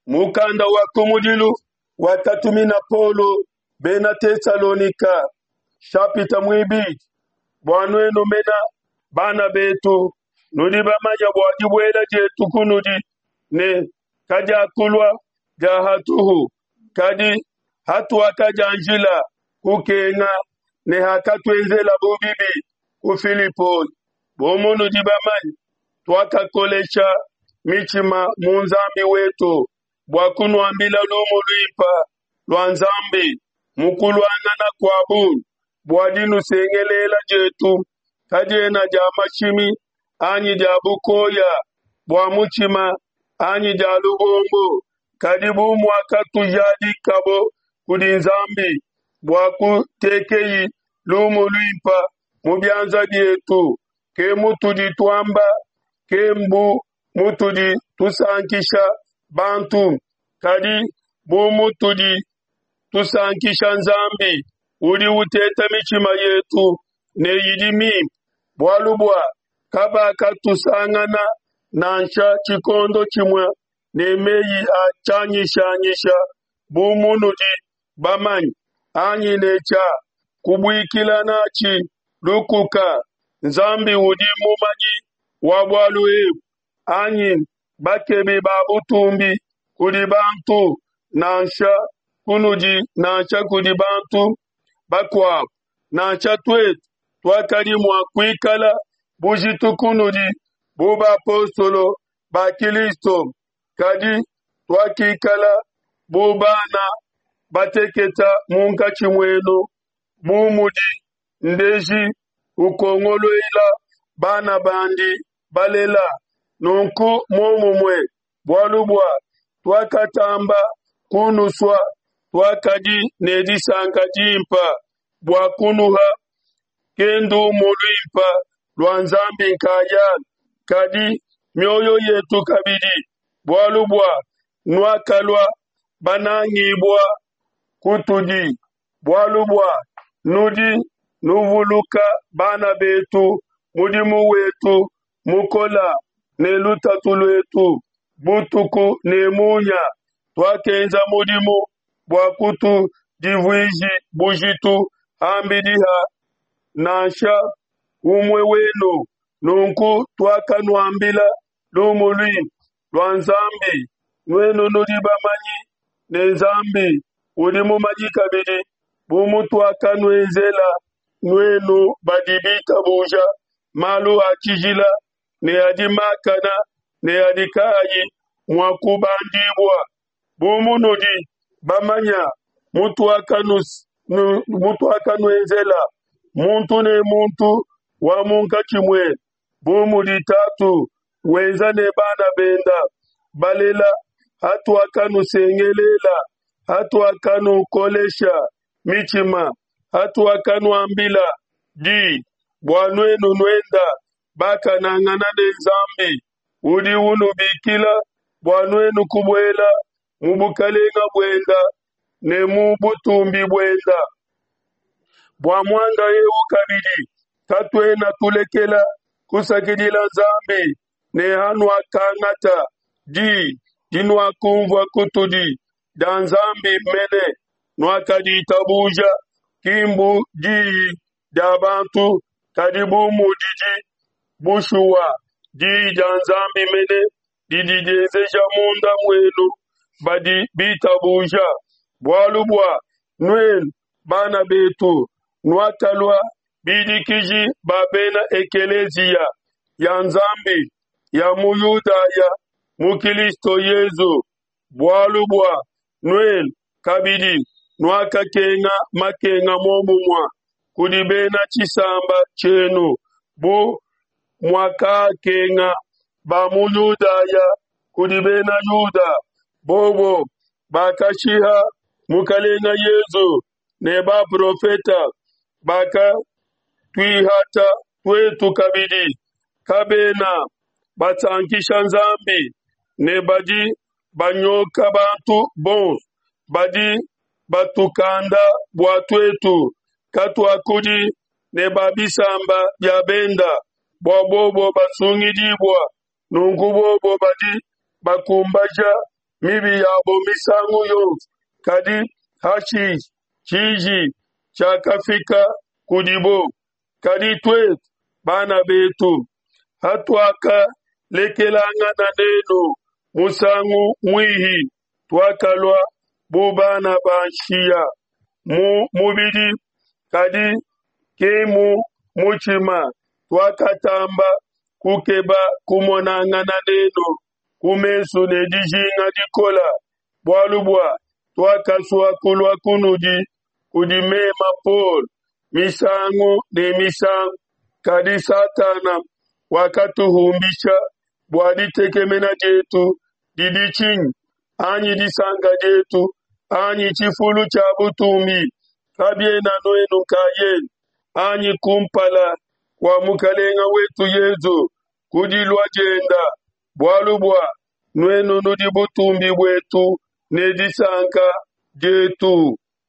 Mukanda wa kumudilu wakatumina Paulo bena Tesalonika, shapita muibidi. Bua nuenu mena bana betu, nudi bamanya bua dibuela dietu kunudi ne kadiakulua dia hatuhu, kadi hatuakadianjila kukenga ne hakatuenzelabo bibi ku Filipoi, bu munudi bamanye, tuakakolesha mitshima mu Nzambi wetu bua kunuambila lumu luimpe lua Nzambi mu kuluangana kua bungi, bua dinusengelela dietu kadiena dia mashimi anyi dia bukoya bua mutshima anyi dia lubombo, kadi bu muakatujadikabo kudi Nzambi bua kutekeyi lumu luimpe mu bianza bietu, ke mutudi tuamba, ke mbu mutudi tusankisha bantu, kadi bu mutudi tusankisha Nzambi udi uteta mitshima yetu ne idi mimpe, bualu bua kabakatusangana nansha tshikondo tshimue ne meyi a tshianyishanyisha bu munudi bamanye, anyi ne tshia kubuikila natshi lukuka. Nzambi udi mumanyi wa bualu ebu, anyi bakebi ba butumbi kudi bantu, nansha kunudi nansha kudi bantu bakuabu, nansha tuetu tuakadi mua kuikala bujitu kunudi bu bapostolo ba Kilisto, kadi tuakikala bu bana bateketa munkatshi muenu, bu mudi ndeji ukongoluela bana bandi balela. Nunku muomumue, bualu bua tuakatamba kunusua, tuakadi ne disanka dimpe bua kunuha, ke ndumu luimpe lua Nzambi nkayalu, kadi mioyo yetu kabidi, bualu bua nuakalua banangibua kutudi, bualu bua nudi nuvuluka bana betu mudimu wetu mukola ne lutatu luetu butuku ne munya. Tuakenza mudimu bua kutudivuiji bujitu ham'bidi ha nansha umue wenu. Nunku tuakanuambila lumu luimpe lua Nzambi, nuenu nudi bamanyi ne Nzambi udi mumanyi kabidi, bu mutuakanuenzela nuenu badi bitabuja malu a tshijila ne adi makana ne adi kaayi mua kubandibua, bu munudi bamanya mutuakanuenzela muntu ne muntu wa munkatshi muenu, bu mudi tatu wenza ne bana benda balela, hatuakanusengelela, hatuakanukolesha mitshima, hatuakanuambila di bua nuenu nuenda bakanangana ne Nzambi udi unubikila bua nuenu kubuela mu bukalenga buenda ne mu butumbi buenda. Bua muanda eu kabidi katuena tulekela kusakidila Nzambi ne hanuakangata di dinuakunvua kutudi dia Nzambi mene, nuakaditabuja, ki mbu diyi dia bantu, kadi bu mudidi bushuwa diyi dia Nzambi mene didi dienzeja munda muenu badi bitabuja. Bualu bua nuenu, bana betu, nuakalua bidikiji ba bena ekeleziya ya Nzambi ya mu Yudaya mu Kilisto Yezu, bualu bua nuenu kabidi nuakakenga makenga muomumue kudi bena tshisamba tshienu, bu muakakenga ba mu Yudaya kudi bena Yuda, bobo bakashiha Mukelenge Yesu ne baprofeta, bakatuihata tuetu kabidi. Kabena basankisha Nzambi ne badi banyoka bantu bonso, badi batukanda bua tuetu katuakudi ne ba bisamba bia benda, bua bobo basungidibua. Nunku bobo badi bakumbaja. mibi yabo misangu yonso, kadi hashishe tshiji tshiakafika kudibo. Kadi tuetu, bana betu, hatuakalekelangana nenu musangu muihi, tuakalua bu bana ba nshiya mu mubidi, kadi ki mu mutshima. Tuakatamba kukeba kumonangana nenu ku mesu ne dijinga dikola, bualu bua tuakasua kulua kunudi kudi mema Paulo misangu ne misangu, kadi Satana wakatuhumbisha. Bua ditekemena dietu didi tshinyi, anyi disanka dietu, anyi tshifulu tshia butumbi? Kabiena nuenu nkayenu, anyi? Kumpala kua Mukelenge wetu Yesu ku dilua dienda, bualu bua nuenu nudi butumbi buetu ne disanka dietu.